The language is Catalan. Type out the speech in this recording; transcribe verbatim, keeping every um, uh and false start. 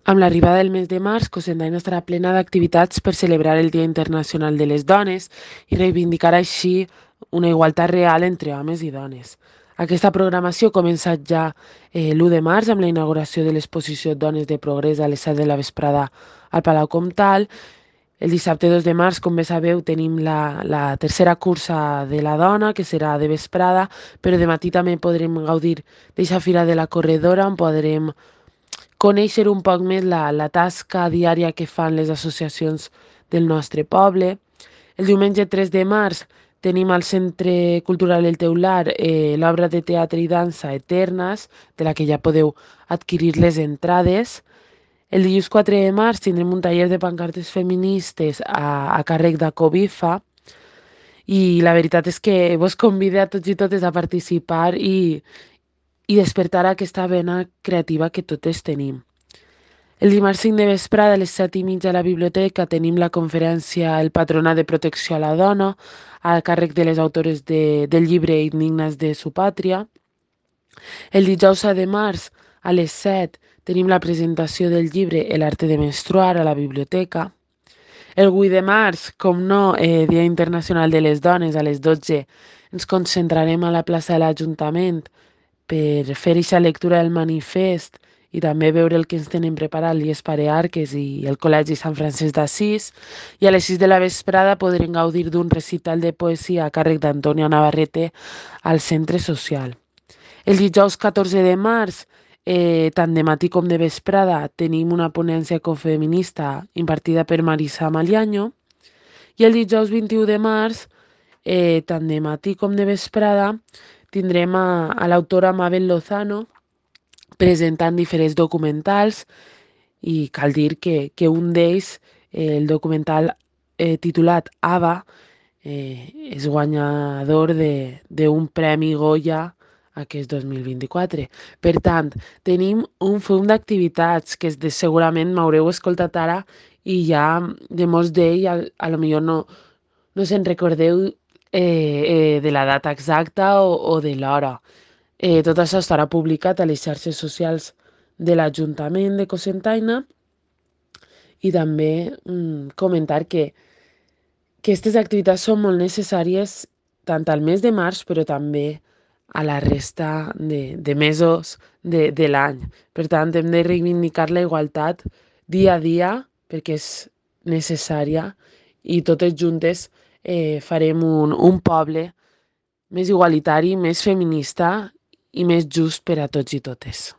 Amb l'arribada del mes de març, Cocentaina estarà plena d'activitats per celebrar el Dia Internacional de les Dones i reivindicar així una igualtat real entre homes i dones. Aquesta programació ha començat ja eh, l'u de març amb la inauguració de l'exposició Dones de Progrés a les set de la vesprada al Palau Comtal. El dissabte dos de març, com bé sabeu, tenim la, la tercera cursa de la dona, que serà de vesprada, però de matí també podrem gaudir d'eixa fira de la corredora, on podrem conèixer un poc més la, la tasca diària que fan les associacions del nostre poble. El diumenge tres de març tenim al Centre Cultural El Teular eh, l'obra de teatre i dansa Eternes, de la que ja podeu adquirir les entrades. El dilluns quatre de març tindrem un taller de pancartes feministes a, a càrrec d'Acobifa i la veritat és que vos convido a tots i totes a participar i, i despertar aquesta vena creativa que totes tenim. El dimarts cinc de vesprada a les set i mitja a la biblioteca tenim la conferència El Patronat de Protecció a la Dona, a càrrec de les autores de, del llibre Indignes de su pàtria. El dijous set de març a les set tenim la presentació del llibre El arte de menstruar a la biblioteca. El vuit de març, com no, eh, Dia Internacional de les Dones, a les dotze ens concentrarem a la plaça de l'Ajuntament per fer aquesta lectura del manifest i també veure el que ens tenen preparat l'Ies Parearques i el Col·legi Sant Francesc d'Assís. I a les sis de la vesprada podrem gaudir d'un recital de poesia a càrrec d'Antonia Navarrete al Centre Social. El dijous catorze de març, eh, tant de matí com de vesprada, tenim una ponència ecofeminista impartida per Marisa Maliaño. I el dijous vint-i-u de març, eh, tant de matí com de vesprada, tindrem a, a l'autora Mabel Lozano presentant diferents documentals i cal dir que, que un d'ells, eh, el documental eh, titulat Ava, eh, és guanyador d'un premi Goya aquest dos mil vint-i-quatre. Per tant, tenim un fum d'activitats que de, segurament m'haureu escoltat ara i ja de molts d'ells a, a lo millor no, no se'n recordeu eh, eh, de la data exacta o, o de l'hora. Eh, tot això estarà publicat a les xarxes socials de l'Ajuntament de Cocentaina i també mm, comentar que, que aquestes activitats són molt necessàries tant al mes de març però també a la resta de, de mesos de, de l'any. Per tant, hem de reivindicar la igualtat dia a dia perquè és necessària i totes juntes eh, farem un, un poble més igualitari, més feminista i més just per a tots i totes.